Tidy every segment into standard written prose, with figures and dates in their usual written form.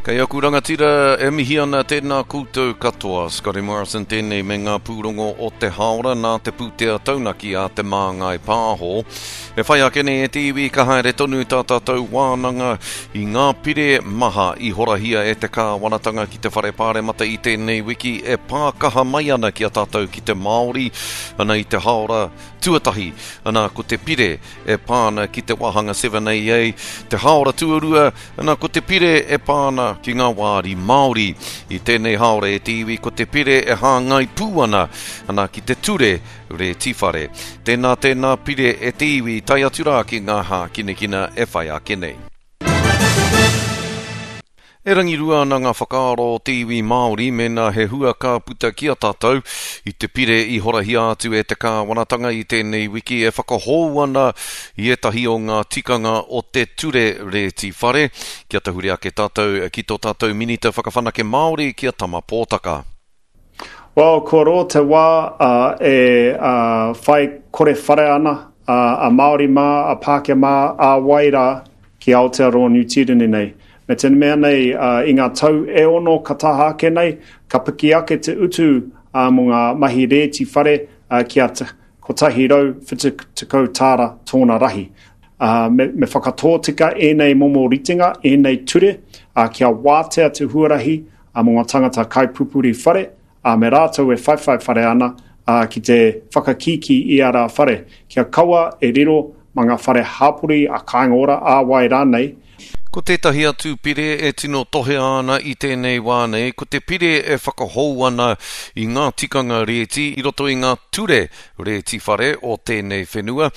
Kei aku rangatira e mihi ana tēnā koutou katoa. Scotty Morrison tēnei me ngā pūrongo o te haora nā te pūtea taunaki a Te Māngai Pāho. E whai ake nei e te iwi ka haere tonu tā tātou wānanga i ngā pire maha i horahia e te kāwanatanga ki te whare pāremata i tēnei wiki e pā kaha mai ana ki a tātou ki te Māori ana i te haora tuatahi ana ko te pire e pā ana ki te wāhanga 7AA, te haora tuarua, ana ko te pire e pā ana ki ngā wāri Māori. I tēnei haora e te iwi ko te pire e hāngai pū ana, ana ki te ture rēti whare. Tēnā tēnā pire e te iwi tae atu rā ki ngā hākinakina e whai ake nei. E rangirua ana ngā whakaaro o te iwi Māori mēnā he hua ka puta ki a tātou i te pire i horahia atu e te kāwanatanga i tēnei wiki e whakahou ana i ētahi o ngā tikanga o te ture rēti whare. Kia tahuri ake tātou ki tō tātou Minita Whakawhanake Māori ki a Tama Pōtaka. Well, kua roa te wā e whai kore whare ana a Māori mā, a Pākehā mā, a wai rā ki Aotearoa Niu Tīreni nei. Me te mea nei, i ngā tau e ono ka taha ake nei, ka piki ake te utu mō ngā mahi rēti whare kia 170 tāra tōna rahi. Me, me whakatōtika ēnei momo ritenga, ēnei ture, kia wātea te huarahi mō ngā tangata kaipupuri whare, ā, me rātou e whaiwhai whare ana, ā, ki te whakakīkī i ā rā whare, kia kaua e riro mā ngā whare hāpori, a Kāinga Ora, ā wai rānei. Ko tētahi atu pire e tino tohea ana i tēnei wā nei, ko te pire e whakahou ana i ngā tikanga rēti i roto i ngā ture rēti whare o tēnei whenua.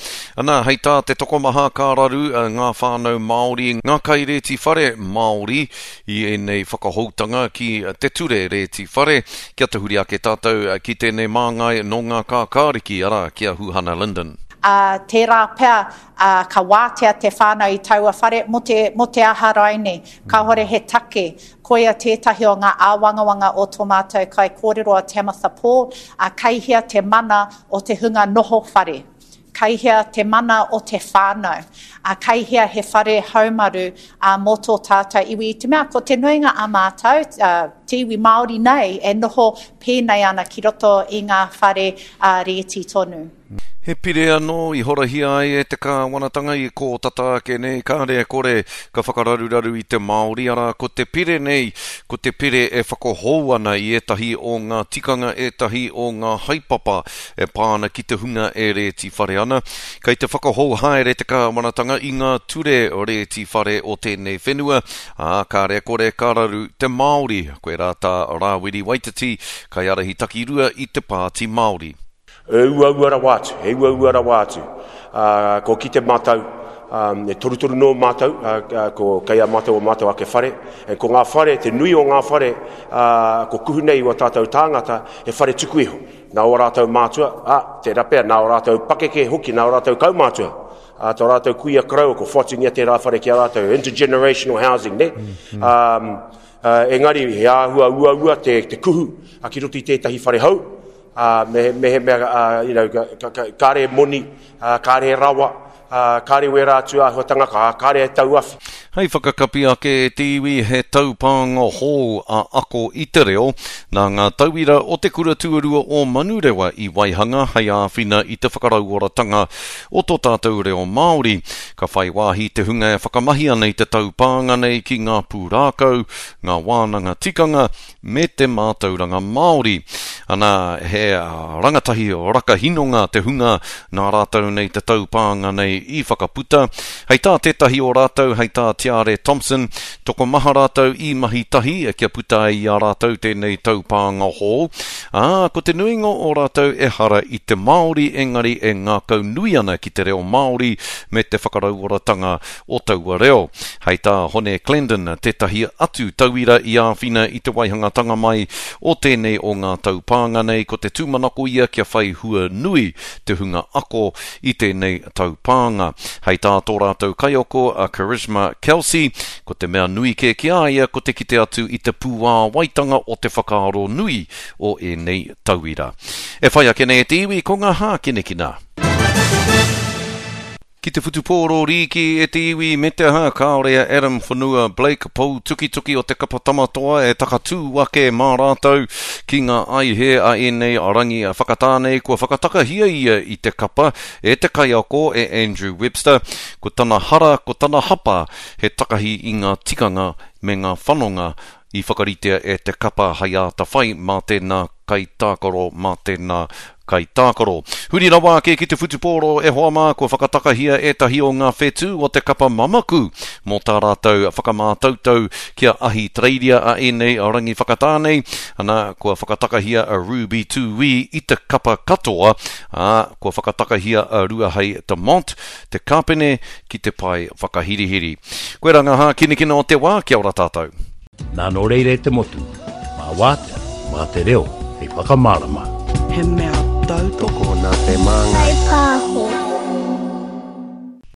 Ana, hei tā te tokomaha ka raru ngā whānau Māori, ngā kairēti whare Māori i ēnei whakahoutanga ki te ture rēti whare. Kia tahuri ake tātou ki tēnei māngai nō ngā kākāriki, arā, ki a Huhana Lyndon. Ā, tērā pea, ā, ka wātea te whānau i taua whare, mō te, mō te aha raine, kāhore he take. Koia tētahi o ngā āwangawanga o tō mātou kaikōrero a Tamatha Paul, ā, kei hea te mana o te hunga noho whare? Kei hea te mana o te whānau? Ā, kei hea he whare haumaru, ā, mō tō tātou iwi? I te mea ko te nuinga a mātou, ā, te iwi Māori nei, e noho pēnei ana ki roto i ngā whare, ā, rēti tonu. He pire anō i horahia ai e te kāwanatanga i kō tata ake nei, kāre e kore ka whakararuraru i te Māori, arā, ko te pire nei, ko te pire e whakahou ana i ētahi o ngā tikanga, ētahi o ngā haepapa e pā ana ki te hunga e rēti whare ana. Kei te whakahou haere te kāwanatanga i ngā ture rēti whare o tēnei whenua, ā, kāre kore ka raru te Māori. Koirā tā Rāwiri Waititi, kaiārahi takirua i te Pāti Māori. He uaua rawa atu, he uaua rawa atu. Ā, kua kite mātou, ā, e torutoru noa mātou, ā, ā, ko, kei a mātou o mātou ake whare. E, ko ngā whare, te nui o ngā whare, ā, ko kuhu nei i wā tātou tāngata, he whare tuku iho. Nā ō rātou mātua, ā, tērā pea, nā ō rātou pakeke hoki, nā ō rātou kaumātua, ā, tō rātou kuia koroua, ko whoatungia tērā whare ki a rātou, intergenerational housing, nē? Mm -hmm. Ā, ā, engari, he āhua uaua te, te kuhu a, ki roto i tētahi whare hou, ā, me, mehemea, ā, you know, ka, ka, ka, kāre moni, ā, kāre rawa, ā, kāre wērā atu āhuatanga, ka, kāre e tauawhi. Hei whakakapi ake e te iwi he taupānga hou a Ako i te Reo, nā ngā tauira o te Kura Tuarua o Manurewa i waihanga hei āwhina i te whakarauoratanga o tō tātou reo Māori. Ka whai wāhi te hunga e whakamahi ana i te taupānga nei ki ngā pūrākau, ngā wānanga tikanga, me te mātauranga Māori. Ana, he rangatahi rakahinonga te hunga nā rātou nei te taupānga nei i whakaputa. Hei tā tētahi o rātou, hei tā Tiare Thompson, tokomaha rātou i mahi tahi kia puta ai i a rātou tēnei taupānga hou, ā, ko te nuinga o rātou ehara i te Māori engari e ngākaunui ana ki te reo Māori me te whakarauoratanga o taua reo. Hei tā Hone Clendon, tētahi atu tauira i āwhina i te waihangatanga mai o tēnei o ngā taupānga nei, ko te tūmanako ia kia whai hua nui te hunga ako i tēnei taupānga. Hei tā tō rātou kaiako a Charisma Kelsey, ko te mea nui kē ki a ia ko te kite atu i te pūāwaitanga o te whakaaro nui o ēnei tauira. E whai ake nei e te iwi ko ngā hākinakina. Ki te whutupōro rīki e te iwi me te aha, kāore a Adam Whanua Blake pou tukituki o te kapa Tamatoa e takatū ake mā rātou ki ngā aihe a ēnei rangi whakatānei kua whakatakahia ia i te kapa e te kaiako e Andrew Webster. Ko tana hara, ko tana hapa he takahi i ngā tikanga me ngā whanonga i whakaritea e te kapa hai āta whai mā tēnā kaitākaro, mā tēnā kaitākaro. Huri rawa ake ki te whutupōro e hoa mā, kua whakatakahia ētahi o ngā whetū o te kapa mamaku mō tā rātou whakamātautau kia Ahitereiria a ēnei rangi whakatā nei. Ana, kua whakatakahia a Ruby Tūī i te kapa katoa, ā, kua whakatakahia a Ruahei Demont, te kāpene, ki te pae whakahirihiri. Koirā ngā hākinakina o te wā, kia ora tātou. Nā nō reira e te motu, mā wātea, mā te reo hei whakamārama. He mea tautoko. Tokona te māngai. Whaipāho.